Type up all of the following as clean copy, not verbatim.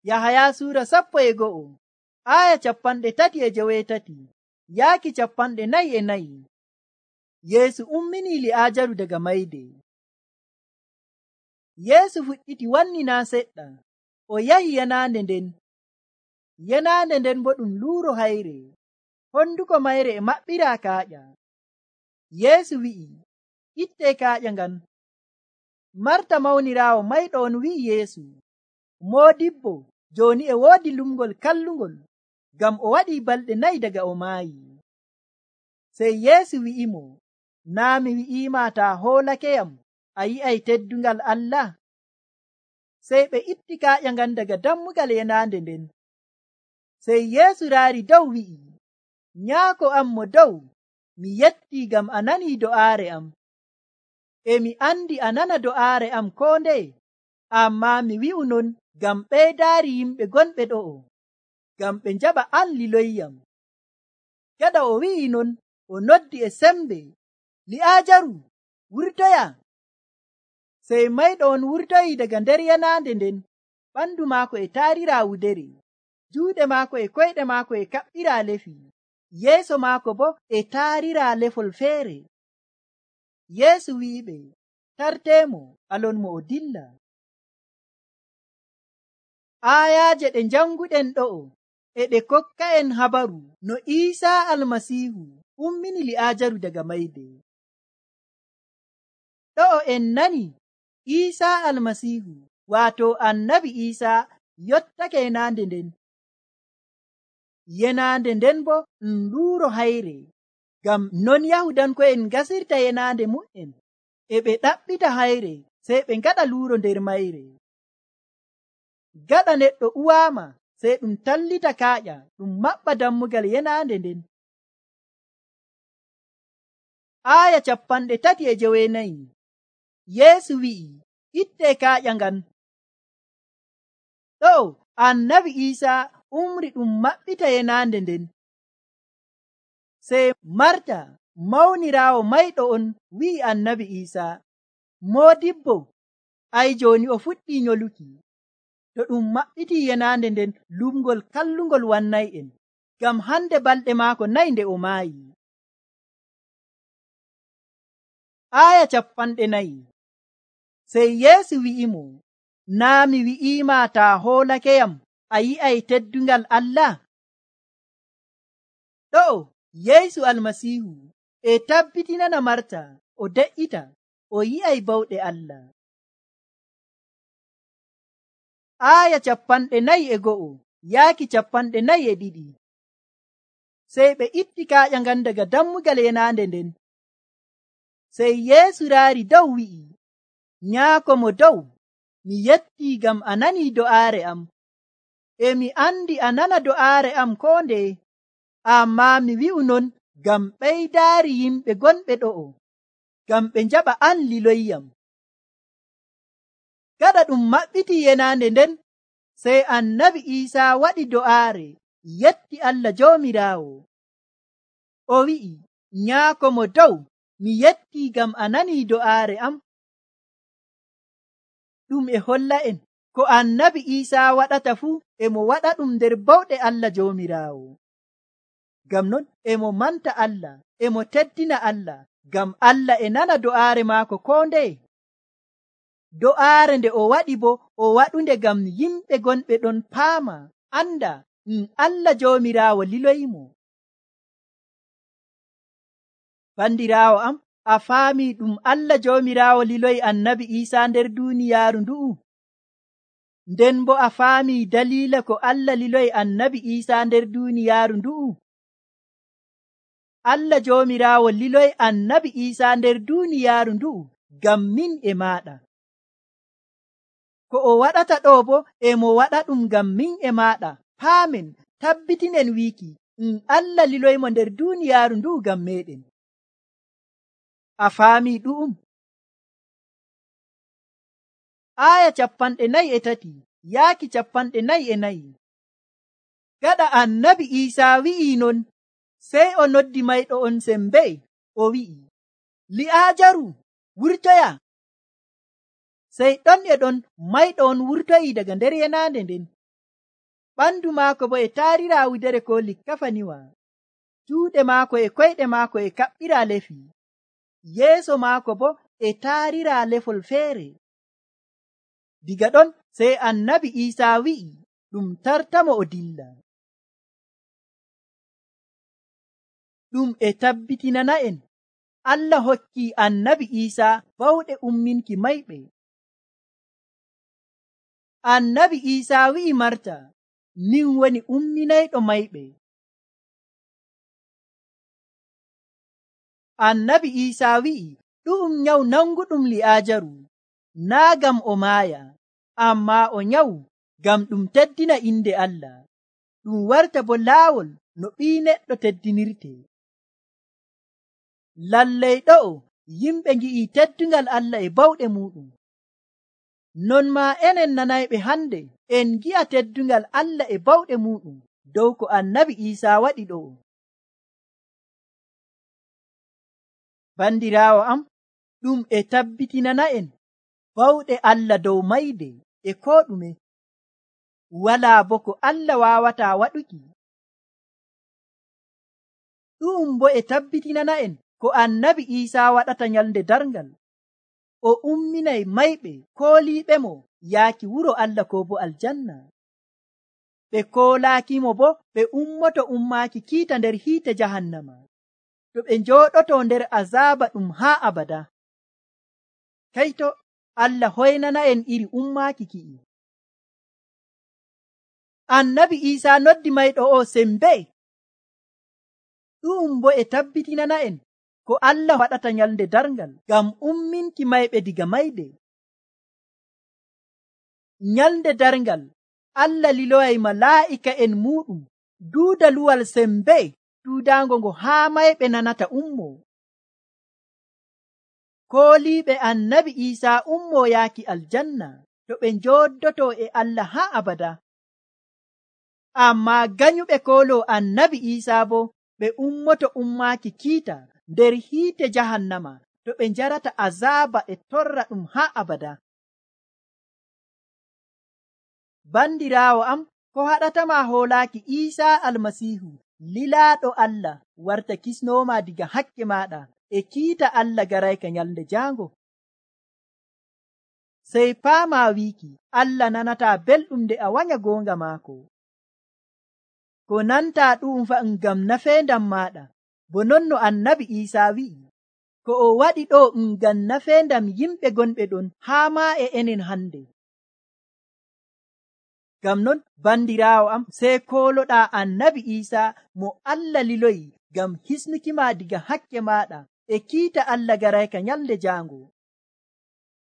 Yahaya suura 11 aya 37 yaaki 44. Yeesu umminii Li'aajaru daga mayde. Yeesu fuɗɗiti wannina seɗɗa, o yahi yanaande nden. Yanaande nden bo ɗum luuro hayre, honduko mayre e maɓɓiraa kaaƴa. Yeesu wi'i, ittee kaaƴa ngan. Marta mawniraawo mayɗo on wi'i Yeesu, Moodibbo, jooni e woodi lumngol kallungol, ngam o waɗii balɗe 4 daga o maayi. Sey Yeesu wi'imo, naa mi wi'iima taa hoolakeyam, a yi'ay teddungal Allah? Sey ɓe itti kaaƴa ngan daga dammugal yanaande nden. Sey Yeesu raari dow wi'i, Nyaako am mo dow, mi yettii ngam a nanii do'aare am. E mi andi a nana do'aare am koo ndeye, ammaa mi wi'u non ngam ɓeydaari yimɓe gonɓe ɗo'o, ngam ɓe njaɓa an liloyyam. Gaɗa o wi'i non, o noddi e sembe, Li'aajaru, wurtoya! Sey mayɗo on wurtoyii daga nder yanaande nden, ɓandu maako e taariraa wudere, juuɗe maako e koyɗe maako e kaɓɓiraa lefi, yeeso maako bo e taariraa lefol feere. Yeesu wi'iɓe, tarteemo, alonmo o dilla. Aayaaje ɗe janguɗen ɗo'o e ɗe kokka'en habaru no Iisaa Almasiihu ummini Li'aajaru daga mayde. Ɗo'o en nani Iisaa Almasiihu, waato Annabi Iisaa, yottake yenaande nden. Yenaande nden bo ɗum luuro hayre, ngam non Yahudanko'en gasirta yenaande mu'en, e ɓe ɗaɓɓita hayre, sey ɓe ngaɗa luuro nder mayre. Gaɗa neɗɗo uwaama, sey ɗum tallita kaaƴa, ɗum maɓɓa dammugal yenaande nden. Aya 39 Yeesu wi'i, ittee kaaƴa ngan. Ɗo Annabi Iisaa umri ɗum maɓɓita yenaande nden. Sey Marta mawniraawo mayɗo on wi'i Annabi Iisaa, Moodibbo, ay jooni o fuɗɗii nyoluki. To ɗum maɓɓitii yenaande nden, lumngol kallungol wannay'en, ngam hande balɗe maako 4 nde o maayi. Aya 40 Sey Yeesu wi'imo, naa mi wi'iima taa hoolakeyam, a yi'ay teddungal Allah? Ɗo Yeesu Almasiihu e tabbitinana Marta o de'ita o yi'ay bawɗe Allah. Aya 41 yaaki 42 Sey ɓe itti kaaƴa ngan daga dammugal yenaande nden. Sey Yeesu raari dow wi'i, Nyaako mo dow, mi yettii ngam a nanii do'aare am. E mi andi a nana do'aare am koo ndeye, ammaa mi wi'u non ngam ɓeydaari yimɓe gonɓe ɗo'o, ngam ɓe njaɓa an liloyyam. Gaɗa ɗum maɓɓitii yenaande nden, sey Annabi Iisaa waɗi do'aare, yetti Allah Joomiraawo. O wi'i, Nyaako mo dow, mi yettii ngam a nanii do'aare am. Ɗum e holla'en ko Annabi Iisaa waɗata fuu e mo waɗa ɗum nder bawɗe Allah Joomiraawo. Ngam non e mo manta Allah, e mo teddina Allah, ngam Allah e nana do'aare maako koo ndeye. Do'aare nde o waɗi bo o waɗunde ngam yimɓe gonɓe ɗon paama, anda Allah Joomiraawo liloyimo. Bandiraawo am, a faami ɗum Allah Joomiraawo liloyi Annabi Iisaa nder duuniyaaru ndu'u? Nden bo a faami daliila ko Allah liloyi Annabi Iisaa nder duuniyaaru ndu'u? Allah Joomiraawo liloyi Annabi Iisaa nder duuniyaaru ndu'u ngam min e maaɗa. Ko o waɗata ɗo bo e mo waɗa ɗum ngam min e maaɗa. Paamen, tabbitinen wiiki Allah liloyimo nder duuniyaaru ndu'u ngam meɗen. A faami ɗu'um? Aya 43 yaaki 44 Gaɗa Annabi Iisaa wi'i non, sey o noddi mayɗo on sembe, o wi'i, Li'aajaru, wurtoya! Sey ɗon e ɗon mayɗo on wurtoyii daga nder yenaande nden. ɓandu maako bo e taarira wudere ko likkafaniwa, juuɗe maako e koyɗe maako e kaɓɓira lefi, yeeso maako bo e taarira lefol feere. Diga ɗon sey annabi Iisaa wi'i ɗum tartamo o dilla. Ɗum e tabbitinana'en Allah hokki annabi Iisaa bawɗe umminki mayɓe. Annabi Iisaa wi'i Marta, min woni umminayɗo mayɓe. Annabi Iisaa wi'i ɗu'um nyawu nanguɗum Li'aajaru, naa gam o maaya, ammaa o nyawu gam ɗum teddina inde Allah, ɗum warta bo laawol no ɓii neɗɗo teddinirte. Lallay ɗo'o yimɓe ngi'i teddungal Allah e bawɗe muɗum. Non maa enen nanayɓe hande en gi'a teddungal Allah e bawɗe muɗum dow ko annabi Iisaa waɗi ɗo'o. Bandiraawo am, ɗum e tabbitinana'en bawɗe Allah dow mayde e ko ɗume. Walaa bo ko Allah waawataa waɗuki. Ɗum bo e tabbitinana'en ko annabi Iisaa waɗata nyalnde darngal. O umminay mayɓe kooliiɓemo yaaki wuro Allah ko bo aljanna. Ɓe koolaakimo bo ɓe ummoto ummaaki kiita nder hiite jahannama, to ɓe njooɗoto nder azaaba ɗum haa abada. Kayto Allah hoynana'en iri ummaaki ki'i. Annabi Iisaa noddi mayɗo o sembe. Ɗum bo e tabbitinana'en ko Allah waɗata nyalnde darngal ngam umminki mayɓe diga mayde. Nyalnde darngal Allah liloyay malaa'ika'en muɗum duuda luwal sembe duudaango ngo haa mayɓe nanata ummo. Kooliiɓe annabi Iisaa ummo yaaki aljanna to ɓe njooɗoto e Allah haa abada. Ammaa ganyuɓe koolo annabi Iisaa bo ɓe ummoto ummaaki kiita nder hiite jahannama to ɓe njarata azaaba e torra ɗum haa abada. Bandiraawo am, ko haɗatama hoolaaki Iisaa almasiihu lilaaɗo Allah warta kisnooma diga hakke maaɗa e kiita Allah garayka nyalnde jaango. Sey paama wiiki Allah nanataa belɗum nde a wanya goonga maako. Ko nantaa ɗum fa ngam nafeendam maaɗa, bo non no annabi Iisaa wi'i, ko o waɗi ɗo ngam nafeendam yimɓe gonɓe ɗon haa maa e enen hande. Ngam non bandiraawo am, sey kooloɗaa annabi Iisaa mo Allah liloyi ngam hisnukima diga hakke maaɗa e kiita Allah garayka nyalnde jaango.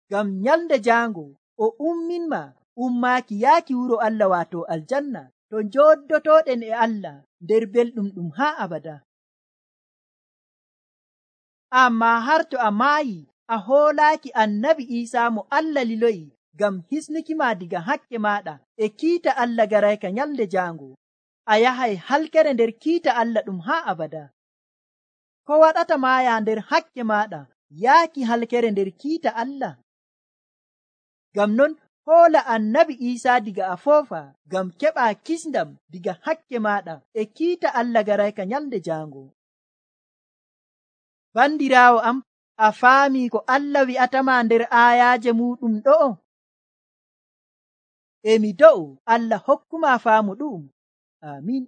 Ngam nyalnde jaango o umminma ummaaki yaaki wuro Allah waato aljanna to njooɗotoɗen e Allah nder belɗum ɗum haa abada. Ammaa har to a maayi a hoolaaki annabi Iisaa mo Allah liloyi ngam hisnukima diga hakke maaɗa e kiita Allah garayka nyalnde jaango, a yahay halkere nder kiita Allah ɗum haa abada. Ko waɗata maaya nder hakke maaɗa yaaki halkere nder kiita Allah? Ngam non hoola annabi Iisaa diga a foofa ngam keɓa kisndam diga hakke maaɗa e kiita Allah garayka nyalnde jaango. Bandiraawo am, a faami ko Allah wi'atama nder aayaaje muɗum ɗo'o? Emi do'u Allah hokkuma faamu ɗum. Amin.